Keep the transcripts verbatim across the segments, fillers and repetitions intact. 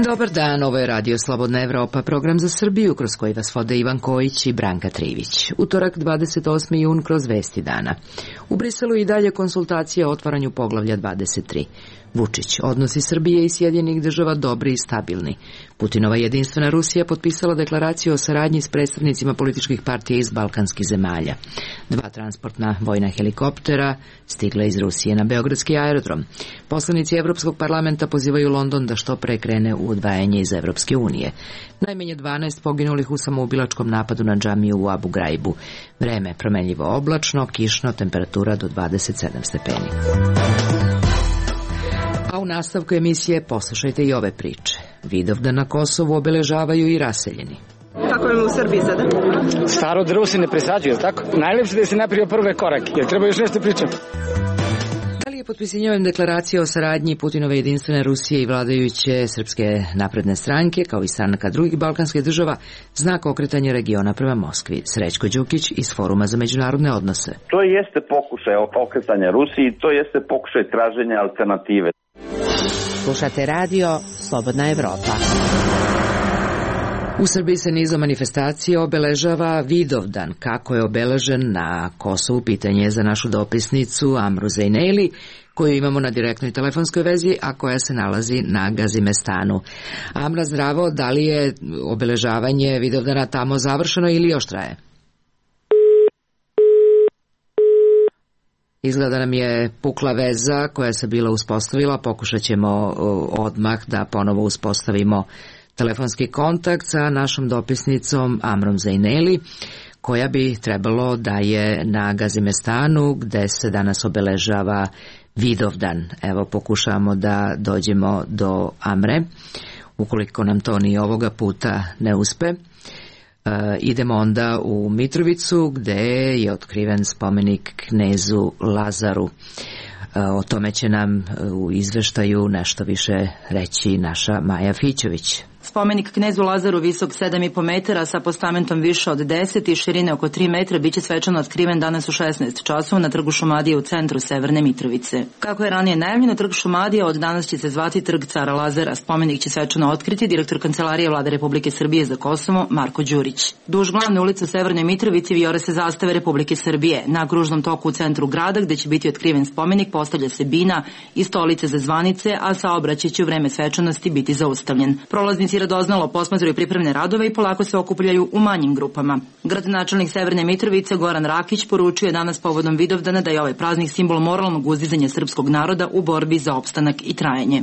Dobar dan, ovo je Radio Slobodna Evropa, program za Srbiju kroz koji vas vode Ivan Kojić i Branka Trivić. Utorak dvadeset osmi jun kroz Vesti dana. U Briselu i dalje konsultacije o otvaranju poglavlja dvadeset tri. Vučić, odnosi Srbije i Sjedinjenih država dobri i stabilni. Putinova jedinstvena Rusija potpisala deklaraciju o saradnji s predstavnicima političkih partija iz balkanskih zemalja. Dva transportna vojna helikoptera stigla iz Rusije na beogradski aerodrom. Poslanici Evropskog parlamenta pozivaju London da što pre krene u odvajanje iz Evropske unije. Najmanje dvanaest poginulih u samoubilačkom napadu na džamiju u Abu Graibu. Vreme promenljivo oblačno, kišno, temperatura do dvadeset sedam stepeni. A u nastavku emisije poslušajte i ove priče. Vidovdan na Kosovu obeležavaju i raseljeni. Kako je u Srbiji sada? Staro drvo se ne presađuje, tako? Najlepše da se napravio prve korake, jer treba još nešto pričati. Da li je potpisivanjem deklaracije o saradnji Putinove jedinstvene Rusije i vladajuće Srpske napredne stranke, kao i stranaka drugih balkanskih država, znak okretanja regiona prema Moskvi? Srećko Đukić iz Foruma za međunarodne odnose. To jeste pokušaj okretanja Rusiji, to jeste pokušaj traženja alternative. Slušate radio Slobodna Evropa. U Srbiji se nizom manifestacije obeležava Vidovdan. Kako je obeležen na Kosovu, pitanje je za našu dopisnicu Amru Zejneli, koju imamo na direktnoj telefonskoj vezi, a koja se nalazi na Gazimestanu. Amra, zdravo, da li je obeležavanje Vidovdana tamo završeno ili još traje? Izgleda nam je pukla veza koja se bila uspostavila. Pokušat ćemo odmah da ponovo uspostavimo telefonski kontakt sa našom dopisnicom Amrom Zejneli, koja bi trebalo da je na Gazimestanu, gde se danas obeležava Vidovdan. Evo, pokušavamo da dođemo do Amre. Ukoliko nam to ni ovoga puta ne uspe, Uh, idemo onda u Mitrovicu, gde je otkriven spomenik knezu Lazaru. Uh, o tome će nam uh, u izveštaju nešto više reći naša Maja Fićović. Spomenik knezu Lazaru visok sedam i po metara sa postamentom više od deset i širine oko tri metra biće svečano otkriven danas u šesnaest časova na Trgu Šumadije u centru Severne Mitrovice. Kako je ranije najavljeno, Trg Šumadije od danas će se zvati Trg Cara Lazara. Spomenik će svečano otkriti direktor Kancelarije Vlade Republike Srbije za Kosovo Marko Đurić. Duž glavne ulice u Severnoj Mitrovici vijore se zastave Republike Srbije. Na kružnom toku u centru grada, gde će biti otkriven spomenik, postavlja se bina i stolice za zvanice, a saobraćaj će u vreme svečanosti biti zaustavljen. Prolaznici radoznalo posmatraju pripremne radove i polako se okupljaju u manjim grupama. Gradonačelnik Severne Mitrovice Goran Rakić poručio je danas povodom Vidovdana da je ovaj praznik simbol moralnog uzdizanja srpskog naroda u borbi za opstanak i trajanje.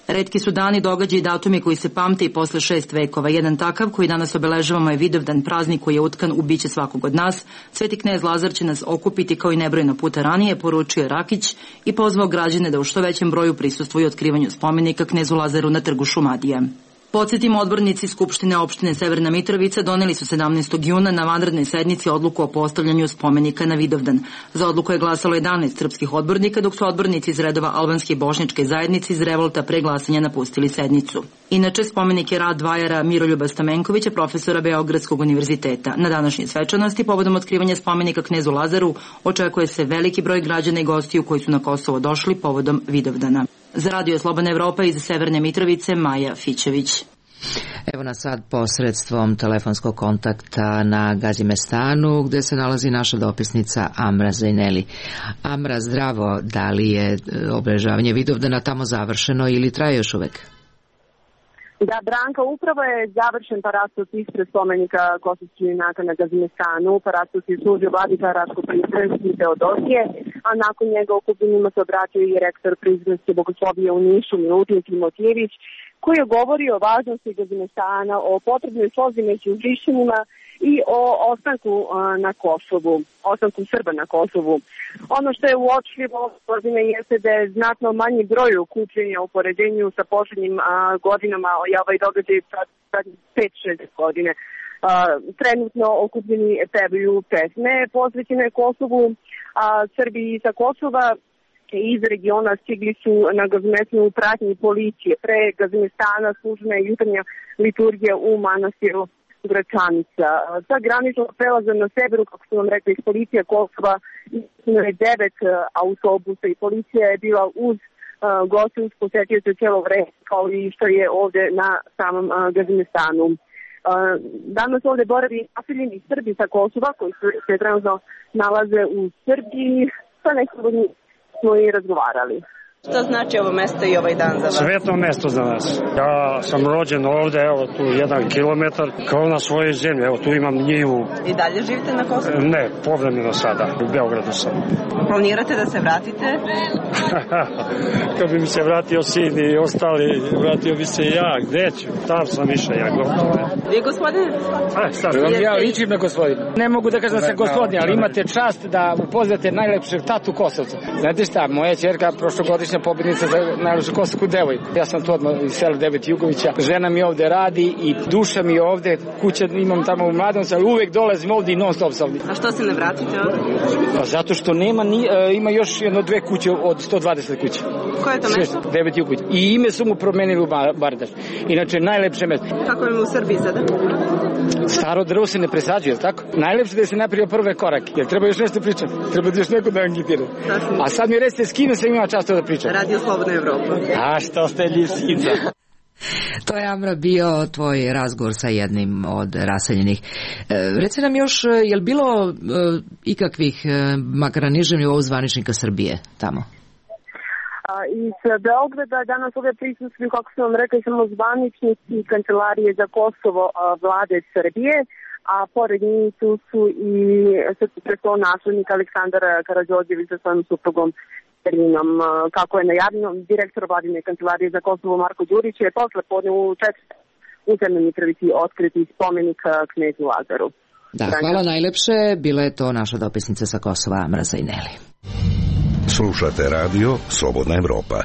Retki su dani, događaji i datumi koji se pamte i posle šest vekova. Jedan takav koji danas obeležavamo je Vidovdan, praznik koji je utkan u biće svakog od nas. Sveti knez Lazar će nas okupiti kao i nebrojeno puta ranije, poručio je Rakić i pozvao građane da u što većem broju prisustvuju otkrivanju spomenika knezu Lazaru na Trgu Šumadije. Podsjetimo, odbornici Skupštine opštine Severna Mitrovica doneli su sedamnaestog juna na vanrednoj sednici odluku o postavljanju spomenika na Vidovdan. Za odluku je glasalo jedanaest srpskih odbornika, dok su odbornici iz redova albanske i bošnjačke zajednice iz revolta pre glasanja napustili sednicu. Inače, spomenik je rad vajara Miroljuba Stamenkovića, profesora Beogradskog univerziteta. Na današnje svečanosti, povodom otkrivanja spomenika knezu Lazaru, očekuje se veliki broj građana i gostiju koji su na Kosovo došli povodom Vidovdana. Za Radio Slobodna Evropa iz Severne Mitrovice, Maja Fićević. Evo nas sad posredstvom telefonskog kontakta na Gazimestanu, gde se nalazi naša dopisnica Amra Zejneli. Amra, zdravo, da li je obeležavanje Vidovdana tamo završeno ili traje još uvek? Da, Branka, upravo je završen parastos ispred spomenika kosovskih junaka na Gazimestanu. Parastos je služio vladika Raško-Prizrenski Teodosije, a nakon njega okupljenima se obratio i rektor Prizrenske bogoslovije u Nišu Milutin Timotijević, koji je govorio o važnosti Gazimestana, o potrebnoj slozi među Hrišćanima i o ostanku na Kosovu, ostanku Srba na Kosovu. Ono što je uočljivo godine jeste da je znatno manji broj okupljenja u poređenju sa posljednjim a, godinama, i ovaj događaj sad pet šest godine. A, trenutno okupljeni pevaju pesme posvećene Kosovu, a Srbi sa Kosova iz regiona stigli su na Gazimestanu u pratnji policije. Pre Gazimestana služena je jutarnja liturgija u manastiru Gračanica. Sa graničnog prelaza na severu, kako su vam rekli, iz policija Kosova je devet autobusa i policija je bila uz gostinsk posetioce cijelo vreme, kao i što je ovde na samom Gazimestanu. Danas ovde boravi naseljeni Srbi sa Kosova koji se trenutno nalaze u Srbiji, sa nekom od njih smo i razgovarali. Šta znači ovo mesto i ovaj dan za vas? Svetno mesto za nas. Ja sam rođen ovde, evo tu jedan kilometar, kao na svojoj zemlji. Evo tu imam njivu. I dalje živite na Kosovu? Ne, povremeno sada, u Beogradu sam. Planirate da se vratite? Kad bi mi se vratio sin i ostali, vratio bi se ja, gde ću? Tam sam išao ja, gotovo. Vi gospodine? A, sad. Ja ličim na gospodinu. Ne mogu da kažem da sam gospodin, ali imate čast da upoznate najlepšeg tatu Kosovca. Znate šta, moja ćerka prošlogodišnja pobednica za najlepšu kosovsku devojku. Ja sam to odmah iz sela Devet Jugovića. Žena mi ovde radi i duša mi ovde, kuća imam tamo u Mladenovcu, ali uvek dolazim ovde i non stop sam ovde. A što se ne vratite ovde? Pa zato što nema, ni, uh, ima još jedno dve kuće od sto dvadeset kuća. Koje je to mesto? Devet Jugović. I ime su mu promenili u Bardaš. Inače, najlepše mesto. Kako je u Srbiji sada? Staro drvo se ne presađuje, tako? Najlepše da se napravio prve korake. Jer treba još nešto pričati. Treba još neko da anketira. A sad mi recite s kime sam imao čast da pričam. Radio Slobodna Evropa. A što ste lisica? To je, Amra, bio tvoj razgovor sa jednim od raseljenih. E, reci nam još, je li bilo e, ikakvih, e, makar na nižem nivou, zvaničnika Srbije tamo? A, iz Beograda danas ovdje prisustvuju, kako sam vam rekla, samo zvaničnici Kancelarije za Kosovo a, vlade Srbije, a pored njih tu su i preko naslednik Aleksandar Karađorđević sa svojim suprugom Serinom. Kako je najavljeno, direktor vladine Kancelarije za Kosovo Marko Đurić je posle podne u četiri u Severnoj Mitrovici otkriti spomenik knezu Lazaru. Da, hvala najlepše. Bila je to naša dopisnica sa Kosova, Amra Zajneli. Slušate radio Slobodna Evropa.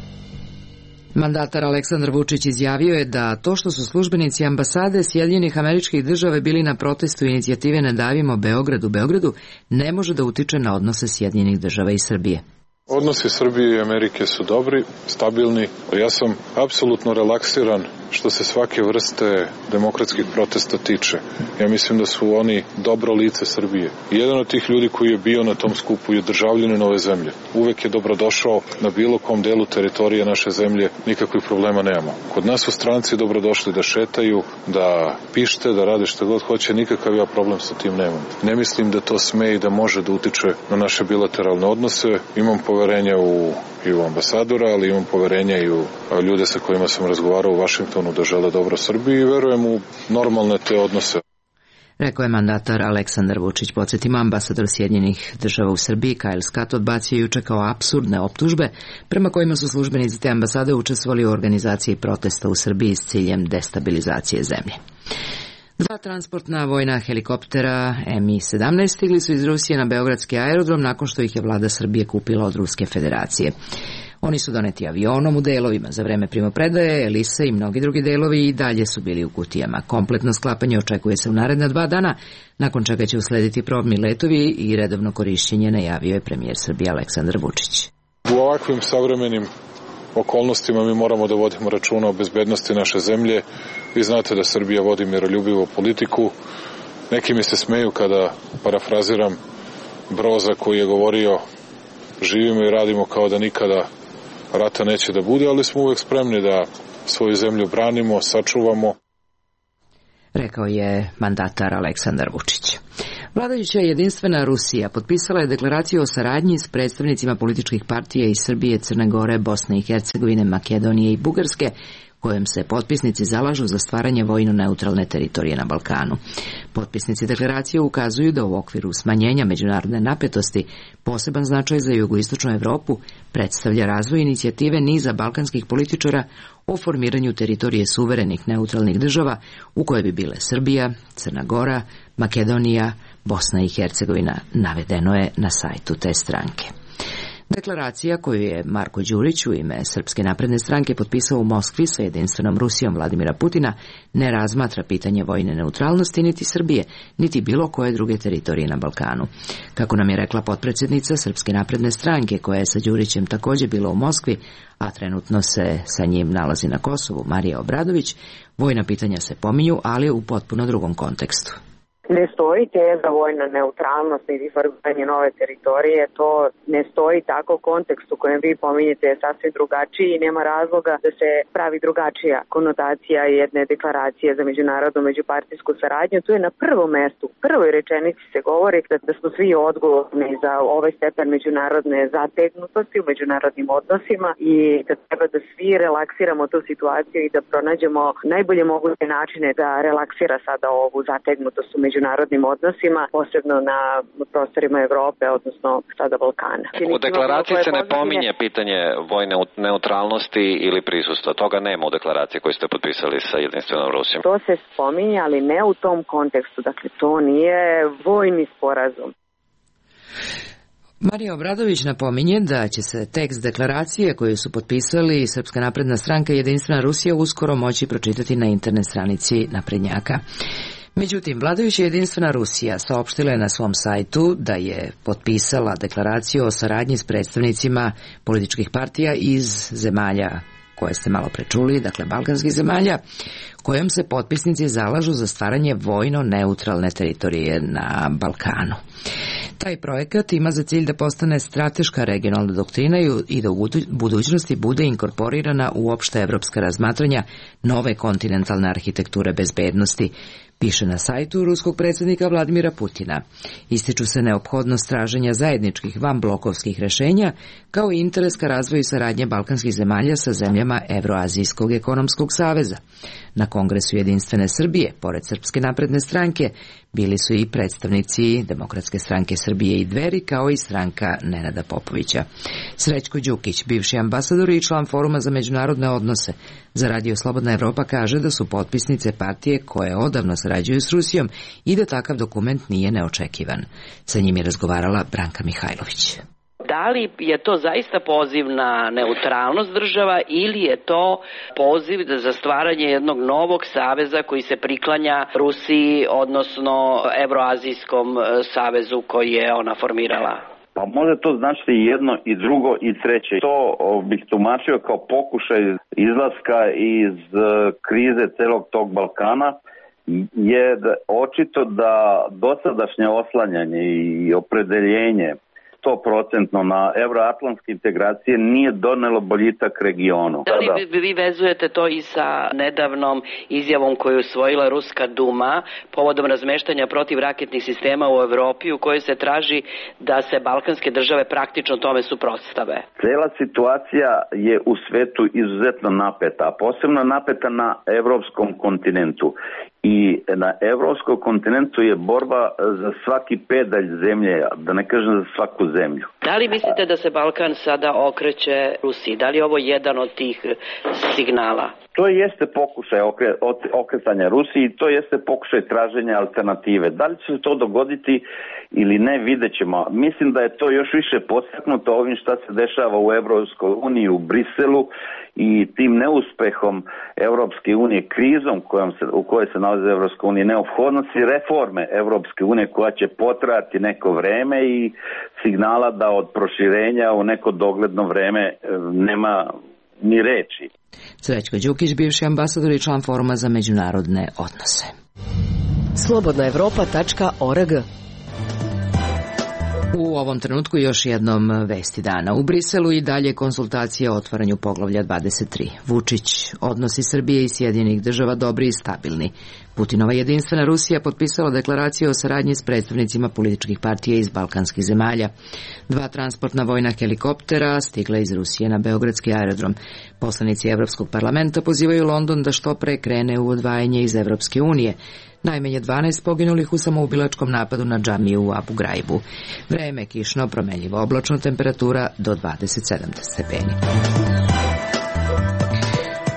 Mandatar Aleksandar Vučić izjavio je da to što su službenici ambasade Sjedinjenih Američkih Država bili na protestu inicijative Ne davimo Beograd u Beogradu ne može da utiče na odnose Sjedinjenih Država i Srbije. Odnosi Srbije i Amerike su dobri, stabilni. Ja sam apsolutno relaksiran što se svake vrste demokratskih protesta tiče. Ja mislim da su oni dobro lice Srbije. Jedan od tih ljudi koji je bio na tom skupu je državljanin ove zemlje. Uvek je dobrodošao na bilo kom delu teritorije naše zemlje, nikakvih problema nemamo. Kod nas su stranci dobrodošli da šetaju, da pište, da rade što god hoće, nikakav ja problem sa tim nemam. Ne mislim da to sme i da može da utiče na naše bilateralne odnose. Imam poverenja u, i u ambasadora, ali imam poverenja i u ljude sa kojima sam razgovarao u Vašingtonu da žele dobro Srbiji i verujem u normalne te odnose. Rekao je mandatar Aleksandar Vučić. Podsjetimo, ambasador Sjedinjenih Država u Srbiji Kyle Scott odbacio juče kao apsurdne optužbe prema kojima su službenici te ambasade učestvovali u organizaciji protesta u Srbiji s ciljem destabilizacije zemlje. Dva transportna vojna helikoptera M I sedamnaest stigli su iz Rusije na beogradski aerodrom nakon što ih je vlada Srbije kupila od Ruske federacije. Oni su doneti avionom u delovima. Za vreme primopredaje, Elise i mnogi drugi delovi i dalje su bili u kutijama. Kompletno sklapanje očekuje se u naredna dva dana, nakon čega će uslediti probni letovi i redovno korišćenje, najavio je premijer Srbije Aleksandar Vučić. U ovakvim savremenim okolnostima mi moramo da vodimo računa o bezbednosti naše zemlje. Vi znate da Srbija vodi miroljubivu politiku. Neki mi se smeju kada parafraziram Broza koji je govorio živimo i radimo kao da nikada rata neće da bude, ali smo uvek spremni da svoju zemlju branimo, sačuvamo. Rekao je mandatar Aleksandar Vučić. Vladajuća jedinstvena Rusija potpisala je deklaraciju o saradnji s predstavnicima političkih partija iz Srbije, Crne Gore, Bosne i Hercegovine, Makedonije i Bugarske, kojom se potpisnici zalažu za stvaranje vojno-neutralne teritorije na Balkanu. Potpisnici deklaracije ukazuju da u okviru smanjenja međunarodne napetosti poseban značaj za jugoistočnu Evropu predstavlja razvoj inicijative niza balkanskih političara o formiranju teritorije suverenih neutralnih država u koje bi bile Srbija, Crna Gora, Makedonija, Bosna i Hercegovina, navedeno je na sajtu te stranke. Deklaracija koju je Marko Đurić u ime Srpske napredne stranke potpisao u Moskvi sa jedinstvenom Rusijom Vladimira Putina ne razmatra pitanje vojne neutralnosti niti Srbije, niti bilo koje druge teritorije na Balkanu. Kako nam je rekla potpredsjednica Srpske napredne stranke, koja je sa Đurićem također bila u Moskvi, a trenutno se sa njim nalazi na Kosovu, Marija Obradović, vojna pitanja se pominju, ali u potpuno drugom kontekstu. Ne stoji teza vojna neutralnost niti formiranje nove teritorije, to ne stoji tako. Kontekst u kojem vi pominjete je sasvim drugačiji i nema razloga da se pravi drugačija konotacija jedne deklaracije za međunarodnu međupartijsku saradnju. Tu je na prvom mestu, u prvoj rečenici se govori da, da smo svi odgovorni za ovaj stepen međunarodne zategnutosti u međunarodnim odnosima i da treba da svi relaksiramo tu situaciju i da pronađemo najbolje moguće načine da relaksira sada ovu zategnutost u međunarodnim odnosima, posebno na prostorima Evrope, odnosno sada Balkana. U deklaraciji se ne pominje pitanje vojne neutralnosti ili prisustva. Toga nema u deklaraciji koju ste potpisali sa jedinstvenom Rusijom. To se spominje, ali ne u tom kontekstu. Dakle, to nije vojni sporazum. Marija Obradović napominje da će se tekst deklaracije koju su potpisali Srpska napredna stranka i jedinstvena Rusija uskoro moći pročitati na internet stranici naprednjaka. Međutim, vladajuća jedinstvena Rusija saopštila je na svom sajtu da je potpisala deklaraciju o saradnji s predstavnicima političkih partija iz zemalja koje ste malo prečuli, dakle balkanskih zemalja, kojom se potpisnici zalažu za stvaranje vojno neutralne teritorije na Balkanu. Taj projekat ima za cilj da postane strateška regionalna doktrina i da u budućnosti bude inkorporirana u opšte evropska razmatranja nove kontinentalne arhitekture bezbednosti, piše na sajtu ruskog predsjednika Vladimira Putina. Ističu se neophodnost traženja zajedničkih vanblokovskih rešenja, kao i interes ka razvoju saradnje balkanskih zemalja sa zemljama Evroazijskog ekonomskog saveza. Na Kongresu jedinstvene Srbije, pored Srpske napredne stranke, bili su i predstavnici Demokratske stranke Srbije i Dveri, kao i stranka Nenada Popovića. Srećko Đukić, bivši ambasador i član Foruma za međunarodne odnose, za Radio Slobodna Evropa kaže da su potpisnice partije koje odavno sarađuju s Rusijom i da takav dokument nije neočekivan. Sa njim je razgovarala Branka Mihajlović. Da li je to zaista poziv na neutralnost država ili je to poziv za stvaranje jednog novog saveza koji se priklanja Rusiji, odnosno Evroazijskom savezu koji je ona formirala? Pa može to značiti i jedno i drugo i treće. To bih tumačio kao pokušaj izlaska iz krize celog tog Balkana, je očito da dosadašnje oslanjanje i opredeljenje sto procentno na evroatlantske integracije nije donelo boljitak regionu. Da li vi, vi vezujete to i sa nedavnom izjavom koju je usvojila Ruska Duma povodom razmeštanja protivraketnih sistema u Evropi, u kojoj se traži da se balkanske države praktično tome suprotstave? Cela situacija je u svetu izuzetno napeta, a posebno napeta na evropskom kontinentu. I na evropskom kontinentu je borba za svaki pedalj zemlje, da ne kažem za svaku zemlju. Da li mislite da se Balkan sada okreće Rusiji? Da li je ovo jedan od tih signala? To jeste pokušaj okre, okretanja Rusiji, to jeste pokušaj traženja alternative. Da li će se to dogoditi ili ne, vidjet ćemo. Mislim da je to još više podstaknuto ovim šta se dešava u Evropskoj uniji, u Briselu i tim neuspehom Evropske unije, krizom kojom se, u kojoj se nalazi Evropska unija, neophodnosti reforme Evropske unije koja će potrajati neko vreme i signala da od proširenja u neko dogledno vreme nema ni reči. Srećko Đukić, bivši ambasador i član Foruma za međunarodne odnose. slobodna evropa tačka org. U ovom trenutku još jednom vesti dana. U Briselu i dalje konsultacije o otvaranju poglavlja dvadeset tri. Vučić, odnosi Srbije i Sjedinjenih država dobri i stabilni. Putinova jedinstvena Rusija potpisala deklaraciju o saradnji s predstavnicima političkih partija iz balkanskih zemalja. Dva transportna vojna helikoptera stigla iz Rusije na beogradski aerodrom. Poslanici Evropskog parlamenta pozivaju London da što pre krene u odvajanje iz Evropske unije. Najmanje dvanaest poginulih u samoubilačkom napadu na džamiju u Abu Graibu. Vreme kišno, promenljivo oblačno, temperatura do dvadeset sedam stepeni.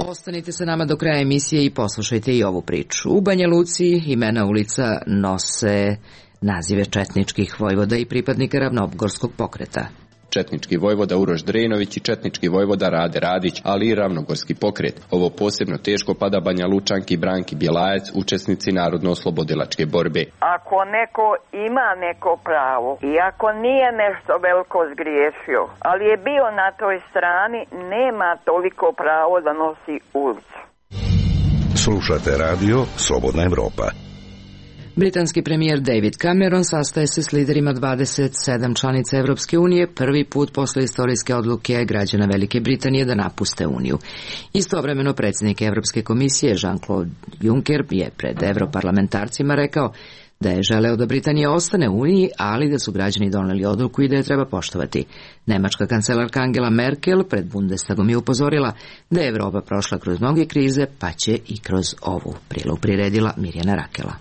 Ostanite sa nama do kraja emisije i poslušajte i ovu priču. U Banja Luci imena ulica nose nazive četničkih vojvoda i pripadnika ravnogorskog pokreta. četnički vojvoda Uroš Drenović i četnički vojvoda Rade Radić, ali i ravnogorski pokret. Ovo posebno teško pada Banja Lučanki Branki Bjelajac, učesnici narodno-oslobodilačke borbe. Ako neko ima neko pravo i ako nije nešto veliko zgriješio, ali je bio na toj strani, nema toliko pravo da nosi ulicu. Slušate radio Slobodna Evropa. Britanski premijer David Cameron sastaje se s liderima dvadeset sedam članica Evropske unije prvi put posle istorijske odluke građana Velike Britanije da napuste Uniju. Istovremeno predsjednik Evropske komisije Jean-Claude Juncker je pred evroparlamentarcima rekao da je želeo da Britanija ostane u Uniji, ali da su građani doneli odluku i da je treba poštovati. Nemačka kancelarka Angela Merkel pred Bundestagom je upozorila da je Evropa prošla kroz mnoge krize, pa će i kroz ovu. Prilog priredila Mirjana Rakela.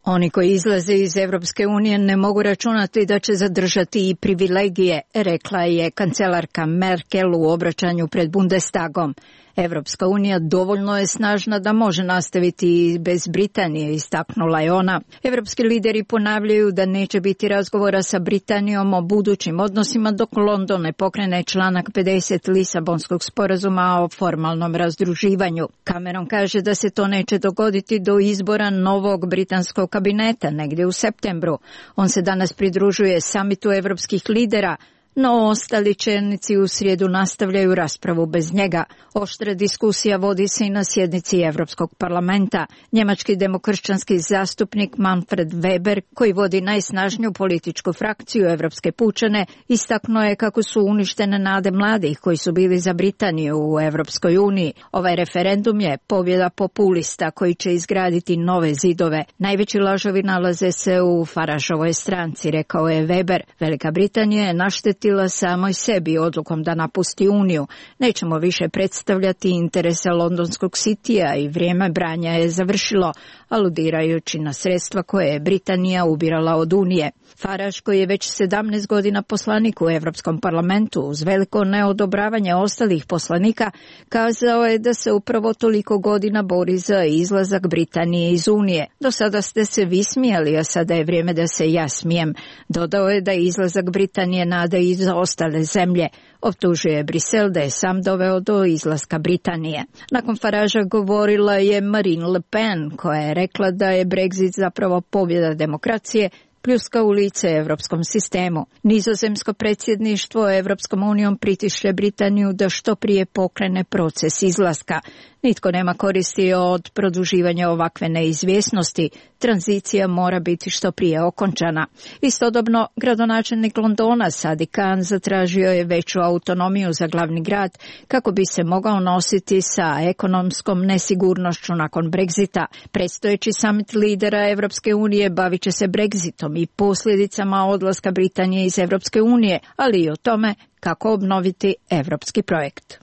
Oni koji izlaze iz Evropske unije ne mogu računati da će zadržati i privilegije, rekla je kancelarka Merkel u obraćanju pred Bundestagom. Evropska unija dovoljno je snažna da može nastaviti i bez Britanije, istaknula je ona. Evropski lideri ponavljaju da neće biti razgovora sa Britanijom o budućim odnosima dok London ne pokrene članak pedeset Lisabonskog sporazuma o formalnom razdruživanju. Cameron kaže da se to neće dogoditi do izbora novog britanskog kabineta negdje u septembru. On se danas pridružuje samitu evropskih lidera, no ostali čelnici u srijedu nastavljaju raspravu bez njega. Oštra diskusija vodi se i na sjednici Evropskog parlamenta. Njemački demokršćanski zastupnik Manfred Weber, koji vodi najsnažniju političku frakciju Evropske pučane, istaknuo je kako su uništene nade mladih koji su bili za Britaniju u Evropskoj uniji. Ovaj referendum je pobjeda populista koji će izgraditi nove zidove. Najveći lažovi nalaze se u Farageovoj stranci, rekao je Weber. Velika Britanija je naštetila samoj sebi odlukom da napusti Uniju. Nećemo više predstavljati interese londonskog sitija i vrijeme branja je završilo, aludirajući na sredstva koje je Britanija ubirala od Unije. Farage, koji je već sedamnaest godina poslanik u Evropskom parlamentu, uz veliko neodobravanje ostalih poslanika, kazao je da se upravo toliko godina bori za izlazak Britanije iz Unije. Do sada ste se vi smijali, a sada je vrijeme da se ja smijem. Dodao je da je izlazak Britanije nada i za ostale zemlje. Optužuje Brisel da je sam doveo do izlaska Britanije. Nakon Faragea govorila je Marine Le Pen, koja je rekla da je Brexit zapravo pobjeda demokracije, pljuska u lice evropskom sistemu. Nizozemsko predsjedništvo Evropskom unijom pritišće Britaniju da što prije pokrene proces izlaska. Nitko nema koristi od produživanja ovakve neizvjesnosti. Tranzicija mora biti što prije okončana. Istodobno, gradonačelnik Londona Sadiq Khan zatražio je veću autonomiju za glavni grad kako bi se mogao nositi sa ekonomskom nesigurnošću nakon Brexita. Predstojeći summit lidera Evropske unije bavit će se Brexitom i posljedicama odlaska Britanije iz Evropske unije, ali i o tome kako obnoviti evropski projekt.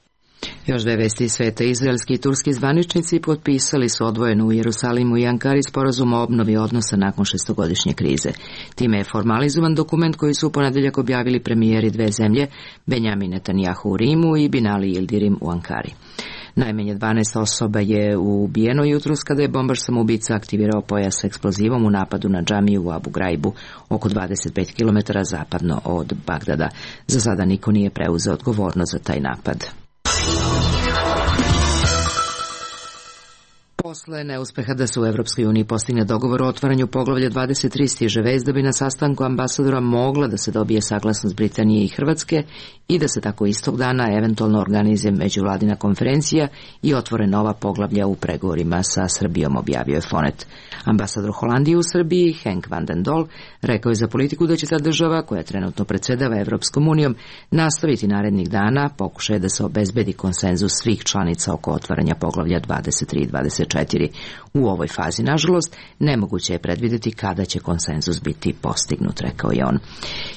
Još dve vesti iz sveta. Izraelski i turski zvaničnici potpisali su odvojeno u Jerusalimu i Ankari sporazum o obnovi odnosa nakon šestogodišnje krize. Time je formalizovan dokument koji su u ponedeljak objavili premijeri dve zemlje, Benjamin Netanjahu u Rimu i Binali Yildirim u Ankari. Najmanje dvanaest osoba je ubijeno jutros kada je bombaš samoubica aktivirao pojas s eksplozivom u napadu na džamiju u Abu Graibu, oko dvadeset pet kilometara zapadno od Bagdada. Za sada niko nije preuzeo odgovornost za taj napad. Posle neuspeha da se u Evropskoj uniji postigne dogovor o otvaranju poglavlja dvadeset tri stiže vest da bi na sastanku ambasadora mogla da se dobije saglasnost Britanije i Hrvatske i da se tako istog dana eventualno organizuje međuvladina konferencija i otvore nova poglavlja u pregovorima sa Srbijom, objavio je Fonet. Ambasador Holandije u Srbiji, Henk van den Dol, rekao je za politiku da će ta država, koja trenutno predsjedava Evropskom unijom, nastaviti narednih dana pokušaje da se obezbedi konsenzus svih članica oko otvaranja poglavlja dvadeset tri i dvadeset četiri. U ovoj fazi, nažalost, nemoguće je predvidjeti kada će konsenzus biti postignut, rekao je on.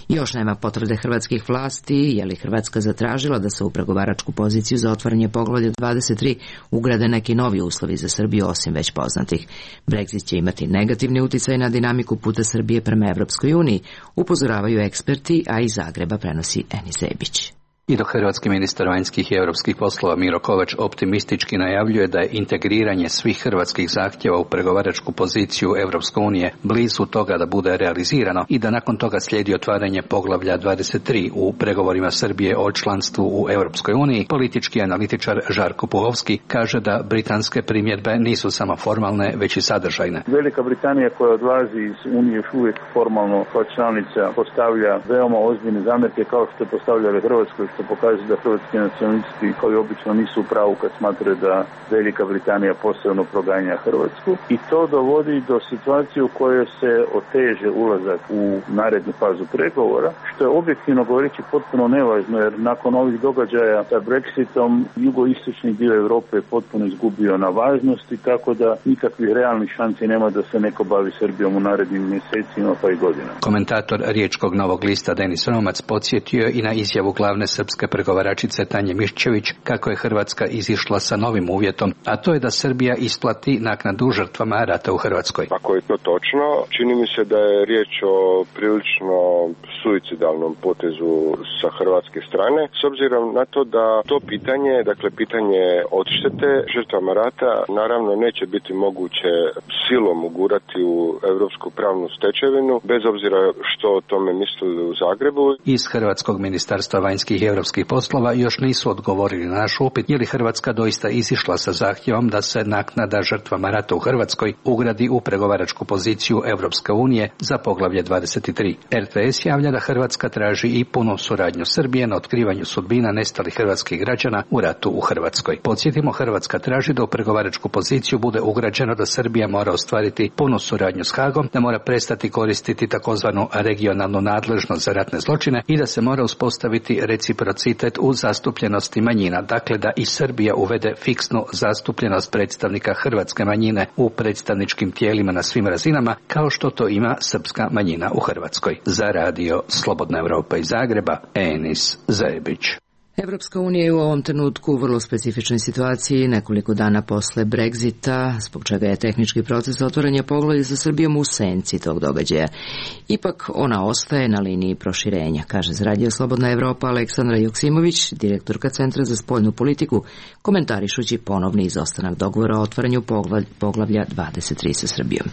Još nema potvrde hrvatskih vlasti, je li Hrvatska zatražila da se u pregovaračku poziciju za otvaranje poglavlja dvadeset tri ugrade neki novi uslovi za Srbiju osim već poznatih. Brexit će imati negativni uticaj na dinamiku puta Srbije prema Evropskoj uniji, upozoravaju eksperti, a iz Zagreba prenosi Eni Zebić. I dok hrvatski ministar vanjskih i europskih poslova Miro Kovač optimistički najavljuje da je integriranje svih hrvatskih zahtjeva u pregovaračku poziciju Europske unije blizu toga da bude realizirano i da nakon toga slijedi otvaranje poglavlja dvadeset tri u pregovorima Srbije o članstvu u Europskoj uniji, politički analitičar Žarko Puhovski kaže da britanske primjedbe nisu samo formalne, već i sadržajne. Velika Britanija koja odlazi iz Unije još uvijek formalno kao članica postavlja veoma ozbiljne zamjerke kao što je postavljala Hrvatskoj, što pokazuje da hrvatski nacionalisti kao i obično nisu u pravu kad smatraju da Velika Britanija posebno proganja Hrvatsku i to dovodi do situacije u kojoj se oteže ulazak u narednu fazu pregovora, što je objektivno govoreći potpuno nevažno jer nakon ovih događaja sa Brexitom jugoistočni dio Europe je potpuno izgubio na važnosti, tako da nikakvih realnih šansi nema da se neko bavi Srbijom u narednim mjesecima pa i godinama. Komentator Riječkog Novog lista Denis Romac podsjetio i na izjavu glavne srpske pregovaračice Tanje Miščević kako je Hrvatska izišla sa novim uvjetom, a to je da Srbija isplati naknadu žrtvama rata u Hrvatskoj. Ako je to točno, čini mi se da je riječ o prilično suicidalnom potezu sa hrvatske strane, s obzirom na to da to pitanje, dakle pitanje odštete žrtvama rata, naravno neće biti moguće silom ugurati u europsku pravnu stečevinu, bez obzira što o tome mislili u Zagrebu. Iz Hrvatskog ministarstva vanjskih i europskih poslova još nisu odgovorili na naš upit je li Hrvatska doista izišla sa zahtjevom da se naknada žrtvama rata u Hrvatskoj ugradi u pregovaračku poziciju Europske unije za poglavlje dvadeset tri. R T S javlja da Hrvatska traži i punu suradnju Srbije na otkrivanju sudbina nestalih hrvatskih građana u ratu u Hrvatskoj. Podsjetimo, Hrvatska traži da u pregovaračku poziciju bude ugrađeno da Srbija mora ostvariti punu suradnju s Hagom, da mora prestati koristiti takozvanu regionalnu nadležnost za ratne zločine i da se mora uspostaviti reciprocitet u zastupljenosti manjina, dakle da i Srbija uvede fiksnu zastupljenost predstavnika hrvatske manjine u predstavničkim tijelima na svim razinama, kao što to ima srpska manjina u Hrvatskoj. Za radio Slobodna Europa iz Zagreba, Enis Zebić. Evropska unija je u ovom trenutku u vrlo specifičnoj situaciji nekoliko dana posle Brexita, zbog čega je tehnički proces otvaranja poglavlja sa Srbijom u senci tog događaja. Ipak ona ostaje na liniji proširenja, kaže za radio Slobodna Evropa Aleksandra Joksimović, direktorka Centra za spoljnu politiku, komentarišući ponovni izostanak dogovora o otvaranju poglavlja dvadeset tri sa Srbijom.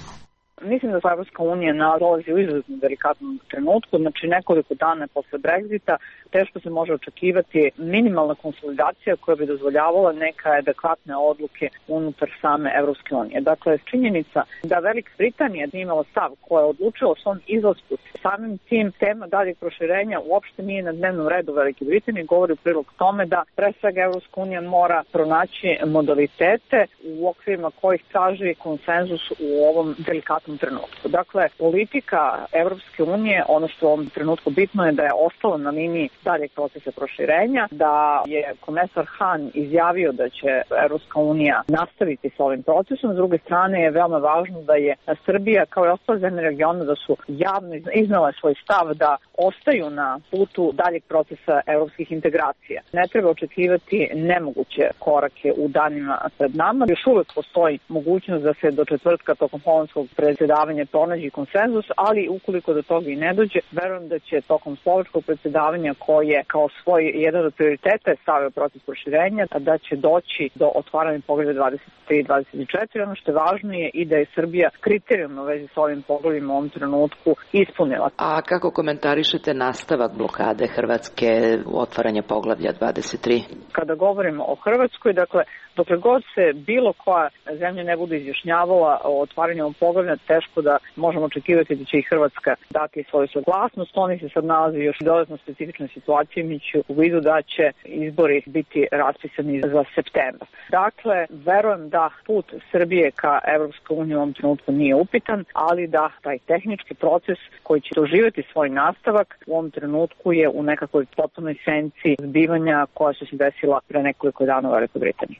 Mislim da Evropska unija nalazi u izuzetno delikatnom trenutku, znači nekoliko dana posle Brexita teško se može očekivati minimalna konsolidacija koja bi dozvoljavala neka adekvatne odluke unutar same Evropske unije. Dakle, činjenica da Velika Britanija nije imala stav koja je odlučila o svom izlasku, samim tim tema daljeg proširenja uopšte nije na dnevnom redu Velike Britanije, govori u prilog tome da pre svega Evropska unija mora pronaći modalitete u okvirima kojih traži konsenzus u ovom delikatnom trenutku. Dakle, politika Evropske unije, ono što u ovom trenutku bitno je da je ostalo na liniji daljeg procesa proširenja, da je komesar Han izjavio da će Evropska unija nastaviti s ovim procesom. S druge strane je veoma važno da je Srbija kao i ostale zemlje regiona da su javno iznale svoj stav da ostaju na putu daljeg procesa evropskih integracija. Ne treba očekivati nemoguće korake u danima pred nama. Još uvek postoji mogućnost da se do četvrtka tokom holandskog predsjedavanja pronađi konsenzus, ali ukoliko do toga i ne dođe, verujem da će tokom slovačkog predsjedavanja koje kao svoj jedan od prioriteta je stavio proces proširenja, da će doći do otvaranja poglavlja dvadeset tri i dvadeset četiri. Ono što je važno je i da je Srbija kriterijumno u vezi s ovim poglavljima u ovom trenutku ispunila. A kako komentarišete nastavak blokade Hrvatske u otvaranja poglavlja dvadeset tri? Kada govorimo o Hrvatskoj, dakle, dokle god se bilo koja zemlja ne bude izjašnjavala o otvaranju ovog poglavlja, teško da možemo očekivati da će i Hrvatska dati svoju saglasnost. Oni se sad nalazi još dodatno specifičnoj situaciji, imajući u vidu da će izbori biti raspisani za septembar. Dakle, verujem da put Srbije ka Evropskoj uniji u ovom trenutku nije upitan, ali da taj tehnički proces koji će doživjeti svoj nastavak u ovom trenutku je u nekakvoj potpunoj senci zbivanja koja su se desila pre nekoliko dana u Velikoj Britaniji.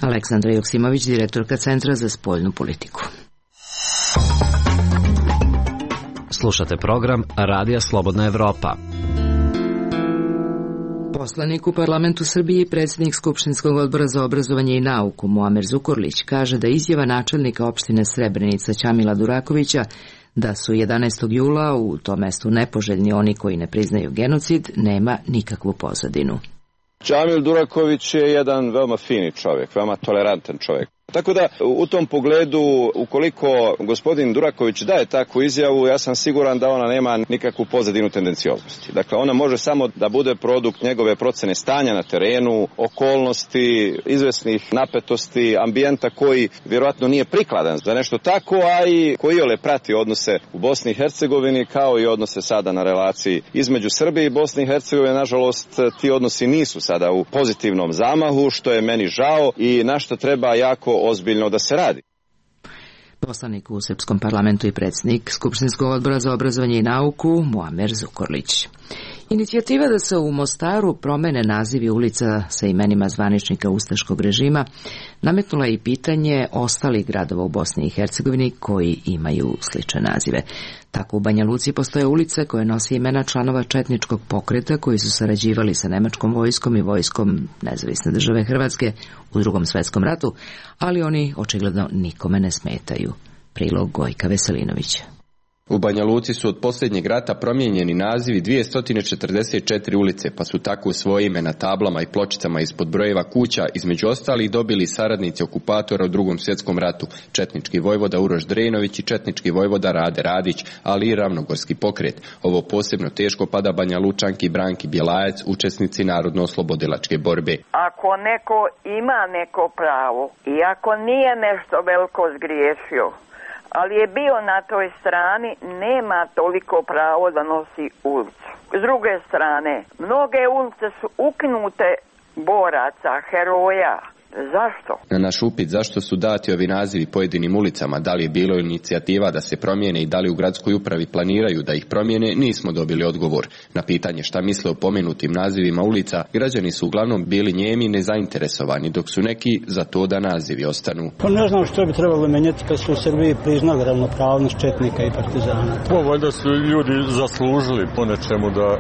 Aleksandra Joksimović, direktorka Centra za spoljnu politiku. Slušate program Radija Slobodna Evropa. Poslanik u parlamentu Srbije i predsjednik Skupštinskog odbora za obrazovanje i nauku Muamer Zukorlić kaže da izjava načelnika opštine Srebrenica Ćamila Durakovića da su jedanaestog jula u tom mestu nepoželjni oni koji ne priznaju genocid nema nikakvu pozadinu. Džamil Duraković je jedan veoma fini čovjek, veoma tolerantan čovjek. Tako da u tom pogledu, ukoliko gospodin Duraković daje takvu izjavu, ja sam siguran da ona nema nikakvu pozadinu tendencioznosti. Dakle, ona može samo da bude produkt njegove procene stanja na terenu, okolnosti, izvesnih napetosti, ambijenta koji vjerojatno nije prikladan za nešto tako, a i koji ole prati odnose u Bosni i Hercegovini, kao i odnose sada na relaciji između Srbije i Bosne i Hercegovine. Nažalost, ti odnosi nisu sada u pozitivnom zamahu, što je meni žao i na što treba jako ozbiljno da se radi. Poslanik u Srpskom parlamentu i predsjednik Skupštinskog odbora za obrazovanje i nauku Muamer Zukorlić. Inicijativa da se u Mostaru promene nazivi ulica sa imenima zvaničnika ustaškog režima nametnula i pitanje ostalih gradova u Bosni i Hercegovini koji imaju slične nazive. Tako u Banja Luci postoje ulice koje nosi imena članova četničkog pokreta koji su sarađivali sa nemačkom vojskom i vojskom Nezavisne države Hrvatske u Drugom svetskom ratu, ali oni očigledno nikome ne smetaju. Prilog Gojka Veselinovića. U Banja Luci su od posljednjeg rata promijenjeni nazivi dvjesto četrdeset četiri ulice, pa su tako svoje ime na tablama i pločicama ispod brojeva kuća između ostalih dobili saradnici okupatora u Drugom svjetskom ratu, četnički vojvoda Uroš Drenović i četnički vojvoda Rade Radić, ali i ravnogorski pokret. Ovo posebno teško pada Banja Lučanki Branki Bjelajac, učesnici narodno-oslobodilačke borbe. Ako neko ima neko pravo i ako nije nešto veliko zgriješio, ali je bio na toj strani, nema toliko pravo da nosi ulicu. S druge strane, mnoge ulice su ukinute boraca, heroja. Zašto? Na naš upit zašto su dati ovi nazivi pojedinim ulicama, da li je bilo inicijativa da se promijene i da li u gradskoj upravi planiraju da ih promijene, nismo dobili odgovor. Na pitanje šta misle o pomenutim nazivima ulica, građani su uglavnom bili njemi nezainteresovani, dok su neki za to da nazivi ostanu. Pa ne znam što bi trebalo menjati kad su u Srbiji priznali ravnopravnost četnika i partizana. Pa valjda su ljudi zaslužili po nečemu da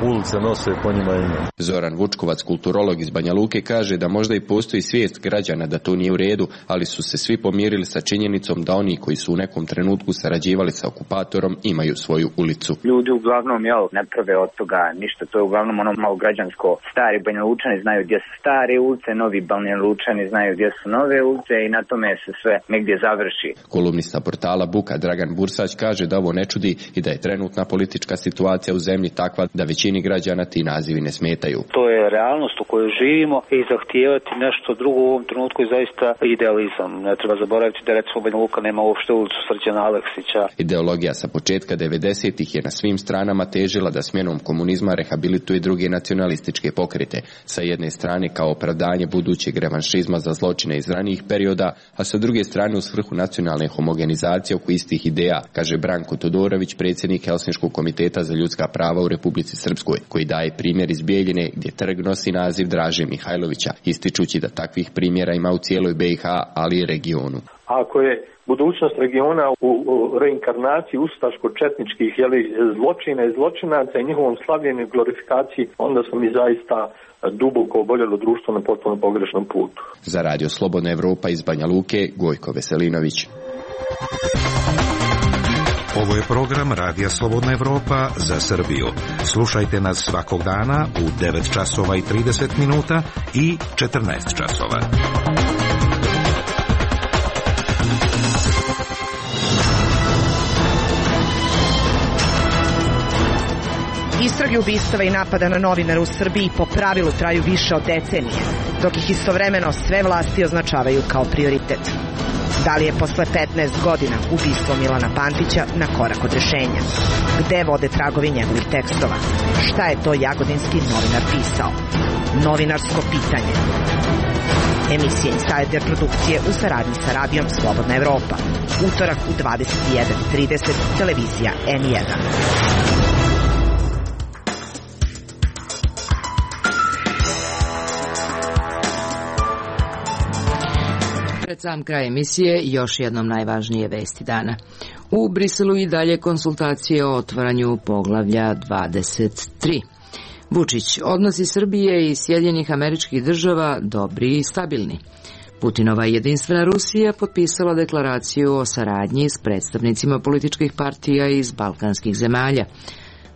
ulice nose po njima ime. Zoran Vučkovac, kulturolog iz Banja Luke, kaže da možda i postoji svijest građana da to nije u redu, ali su se svi pomirili sa činjenicom da oni koji su u nekom trenutku sarađivali sa okupatorom imaju svoju ulicu. Ljudi uglavnom jel, ne prave od toga ništa, to je uglavnom ono malo građansko. Stari Banja Lučani znaju gdje su stare ulice, novi Banja Lučani znaju gdje su nove ulice i na tome se sve negdje završi. Kolumnista portala Buka Dragan Bursać kaže da ovo ne čudi i da je trenutna politička situacija u zemlji takva da većini građana ti nazivi ne smetaju. To je realnost u kojoj živimo i zahtijevati nešto drugo u ovom trenutku je zaista idealizam. Ne treba zaboraviti da recimo Banja Luka nema uopšte ulicu Srđana Aleksića. Ideologija sa početka devedesetih je na svim stranama težila da smjenom komunizma rehabilituje druge nacionalističke pokrete. Sa jedne strane kao opravdanje budućeg revanšizma za zločine iz ranijih perioda, a sa druge strane u svrhu nacionalne homogenizacije oko istih ideja, kaže Branko Todorović, predsjednik Helsinškog komiteta za ljudska prava u Republici Srpskoj, koji daje primjer iz Bijeljine gdje trg nosi naziv Draže Mihajlovića, ističući da takvih primjera ima u cijeloj B i H, ali i regionu. Ako je budućnost regiona u reinkarnaciji ustaško-četničkih zločina i zločinaca i njihovom slavljenju i glorifikaciji, onda smo mi zaista duboko oboljelo društvo na potpuno pogrešnom putu. Za Radio Slobodna Evropa iz Banja Luke, Gojko Veselinović. Ovo je program Radija Slobodna Evropa za Srbiju. Slušajte nas svakog dana u devet časova i trideset minuta i četrnaest časova. Istrage ubistava i napada na novinara u Srbiji po pravilu traju više od decenije, dok ih istovremeno sve vlasti označavaju kao prioritet. Da li je posle petnaest godina ubistvo Milana Pantića na korak od rešenja? Gde vode tragovi njegovih tekstova? Šta je to jagodinski novinar pisao? Novinarsko pitanje. Emisija Insider produkcije u saradnji sa Radijom Slobodna Evropa. Utorak u dvadeset jedan trideset, televizija N jedan. Pred sam kraj emisije još jednom najvažnije vesti dana. U Briselu i dalje konsultacije o otvaranju poglavlja dvadeset tri. Vučić, odnosi Srbije i Sjedinjenih Američkih Država dobri i stabilni. Putinova jedinstvena Rusija potpisala deklaraciju o saradnji s predstavnicima političkih partija iz balkanskih zemalja.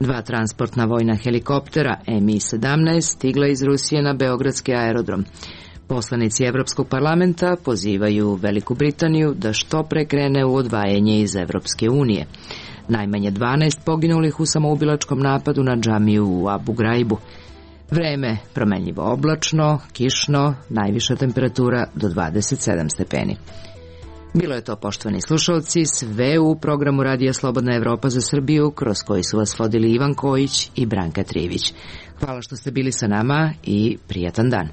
Dva transportna vojna helikoptera M I sedamnaest stigla iz Rusije na beogradski aerodrom. Poslanici Evropskog parlamenta pozivaju Veliku Britaniju da što pre krene u odvajanje iz Evropske unije. Najmanje dvanaest poginulih u samoubilačkom napadu na džamiju u Abu Graibu. Vreme promenljivo oblačno, kišno, najviša temperatura do dvadeset sedam stepeni. Bilo je to, poštovani slušalci, sve u programu Radija Slobodna Evropa za Srbiju, kroz koji su vas vodili Ivan Kojić i Branka Trivić. Hvala što ste bili sa nama i prijatan dan.